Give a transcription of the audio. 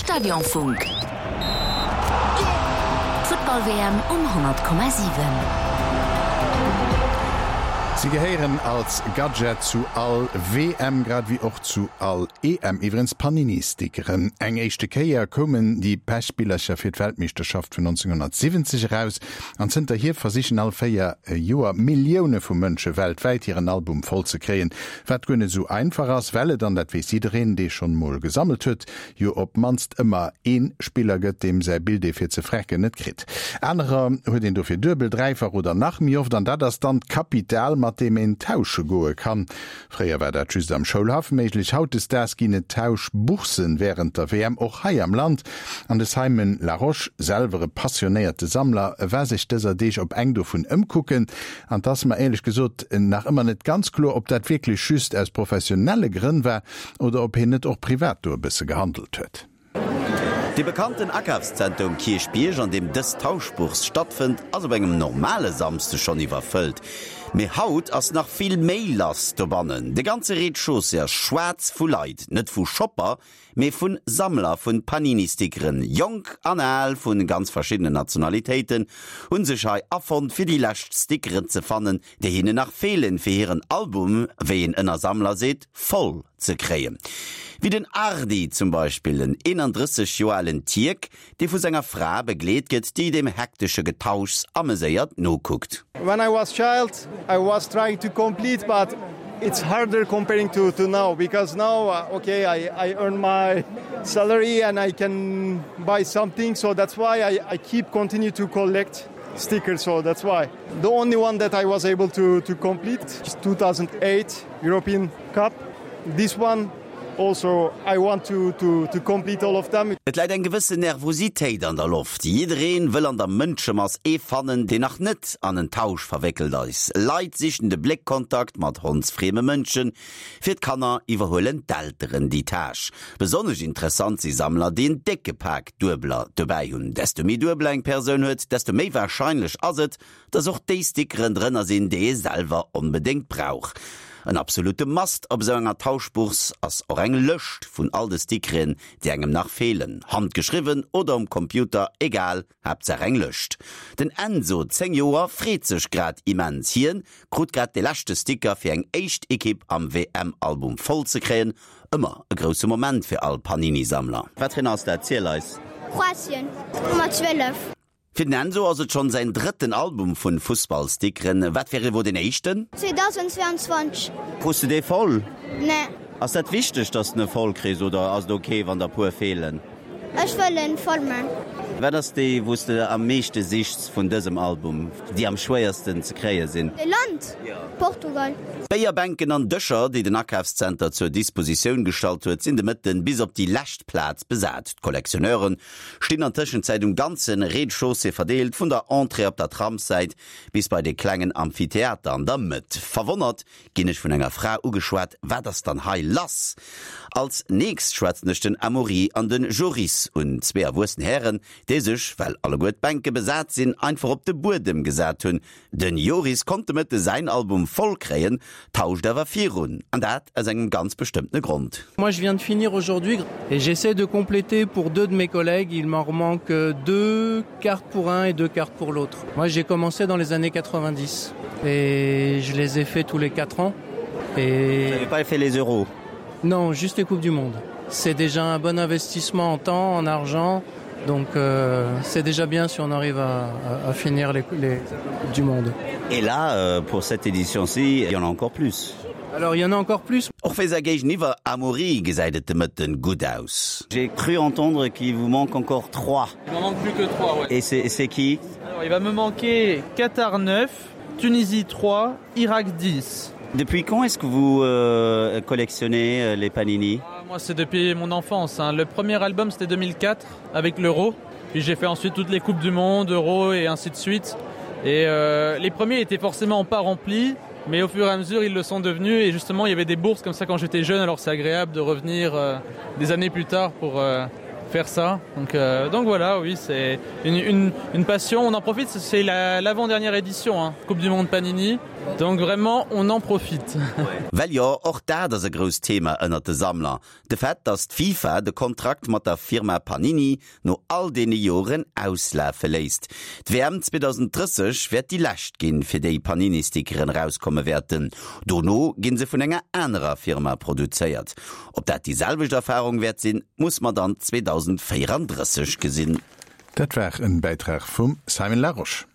Stadionfunk. D'Futtball-WM um 100,7. Si gehéieren als Gadget zu all WM, grad ewéi och zu all EM. Iwwerens Panini-Stickeren. Eng éischte Kéier koumen déi Pechbillercher fir d'Weltmeeschterschaft vun 1970 eraus an zënterhier versichen all 4 Joer Millioune vu Mënsche weltwäit hiren Album voll ze kréien. Wat guer net esou einfach ass, well et, an dat weess jiddereen, dee schonn emol gesammelt huet, jo op d'mannst ëmmer ee Spiller gëtt, deem säi Bild ee fir ze frecken net kritt. Anerer huet een dofir duebel, dräifach oder nach méi oft, an dat ass dann d'Kapital, mat deem een tausche goe kann. Fréier war dat just am Schoulhaff méiglech, hautdesdaags ginn et Tauschboursen wärend der WM och hei am Land. An de Simon Larosche, selwer e passionéierte Sammler, war sech dëser Deeg op eng dovun ëmkucken. An 't ass mer éierlech gesot nach ëmmer net ganz kloer, ob dat wierklech just aus professionelle Grënn war oder ob hien net och privat do e bësse gehandelt huet. Dee bekannten Akafszenter um Kierchbierg, an deem dës Tauschbourse stattfënnt, ass op engem normale Samsde schonn iwwerfëllt. Mee haut ass nach vill méi lass dobannen. De ganze Rez-de-chaussée ass schwaarz vu Leit, net vu Shopper, mee vun Sammler vun Panini-Stickeren. Jonk an al vun ganz verschiddenen Nationalitéiten hunn sech hei afonnt fir déi lescht Stickeren ze fannen, déi hinnen nach feelen fir hiren Album, wéi een ënner Sammler seet, voll ze kréien. Wéi den Ardi zum Beispill, en 31 Joer alen Tierk, dee vu senger Fra begleet gëtt, déi dem hektesche Getauschs ameséiert nokuckt. When I was child I was trying to complete but it's harder comparing to to now because now okay I I earn my salary and I can buy something so that's why I I keep continue to collect stickers so that's why the only one that I was able to to complete is 2008 European Cup this one Also I want to to to complete all of them. Et läit eng gewëssen Nervositéit an der Loft. Jiddereen wëll an der Mënschemass ee fannen, deen nach net an en Tausch verwéckelt ass. Leit sichen de Bléckkontakt mat hondsfrieme Mënschen. Fir d'Kanner iwwerhuelen d'Elteren déi Tâche. Besonnesch interessant si Sammler, déi en décke Pak Duebeler dobäi hunn. Desto méi Duebeler eng Persoun huet, desto méi warscheinlech ass et, dass och déi Stickeren drënner sinn, déi ee selwer onbedéngt brauch. En absolute Must op esou enger Tauschbourse ass och eng Lëscht vun all de Stickeren, déi engem nach feelen. Handgeschriwwen oder um Computer, egal, Haaptsaach eng Lëscht. Den Enzo, 10 Joer, freet sech grad immens. Hien krut grad de leschte Sticker fir eng éischt Ekipp am WM-Album voll ze kréien. Ëmmer e grousse Moment fir all Panini-Sammler. Wat fir een ass dat? Ziel eis. Kroatien, Nummer 12. Fir den Enzo ass et schonn säin drëtten Album vun Fussballstickeren. Wat wär ewuer deen éischten? 2022. Krus de dee voll? Nee. Ass dat wichteg, dass de en voll kriss oder ass et ok wann der puer feelen? Ech wëll en voll man. Wat ass déi wous de am meeschte sichs vun dësem Album, déi am schwéiersten ze kréie sinn? E Land? Portugal. D'Béierbänken an Dëscher, déi den Akafszenter zur Dispositioun gestallt huet, sinn de Mëtten bis op déi lescht Plaz besat. D'Collectionneuren Stinn an Tëschenzäit um ganzen Rez-de-chaussée verdeelt, vun der Entrée op der Tramssäit bis bei de klengen Amphitheater an der Mëtt. Verwonnert ginn ech vun enger Fra ugeschwat, Wat ass dann hei lass? Als nächst schwätzen ech den Amaury an den Joris un, zwee erwuessen Hären, déi sech, well alleguer d'Bänke besat sinn, einfach op de Buedem gesat hunn. Den Joris konnt de Mëtte säin Album voll kréien, tauscht awer virun, an dat aus engem ganz bestëmmtene Grond. Moi je viens de finir aujourd'hui et j'essaie de compléter pour deux de mes collègues, il m'en manque deux cartes pour un et deux cartes pour l'autre. Moi j'ai commencé dans les années 90 et je les ai fait tous les quatre ans et Vous n'avez pas fait les euros? Non, juste les coupes du monde. C'est déjà un bon investissement en temps, en argent, Donc euh, c'est déjà bien si on arrive à, à, à finir les, les du monde. Et là euh, pour cette édition-ci, il y en a encore plus. Alors il y en a encore plus. Och fir säi Géigeniwwer Amaury gesäit et de Mëtten gutt aus. J'ai cru entendre qu'il vous manque encore 3. Il m'en manque plus que 3 ouais. Et c'est qui? Alors, il va me manquer Qatar 9, Tunisie 3, Irak 10. Depuis quand est-ce que vous euh, collectionnez euh, les panini ah, Moi c'est depuis mon enfance. Hein. Le premier album c'était 2004 avec l'euro. Puis j'ai fait ensuite toutes les coupes du monde, euro et ainsi de suite. Et euh, les premiers étaient forcément pas remplis, mais au fur et à mesure ils le sont devenus et justement il y avait des bourses comme ça quand j'étais jeune, alors c'est agréable de revenir euh, des années plus tard pour euh, Faire ça donc euh, donc voilà oui c'est une, une, une passion on en profite c'est l'avant-dernière la, édition hein, Coupe du monde Panini donc vraiment on en profite. Well jo, och dat ass e grousst Thema ënnert de Sammler, de Fait, datt d'FIFA de Kontrakt mat der Firma Panini no all deene Joren auslafe léisst. D'WM 2030 wäert déi lescht ginn, fir déi Panini-Stickeren erauskomme wäerten. Dono ginn se vun enger anerer Firma produzéiert. Ob dat déi selwecht Erfarung wäert sinn, muss mer dann 2034 gesinn. Dat war en Bäitrag vum Simon Larosche.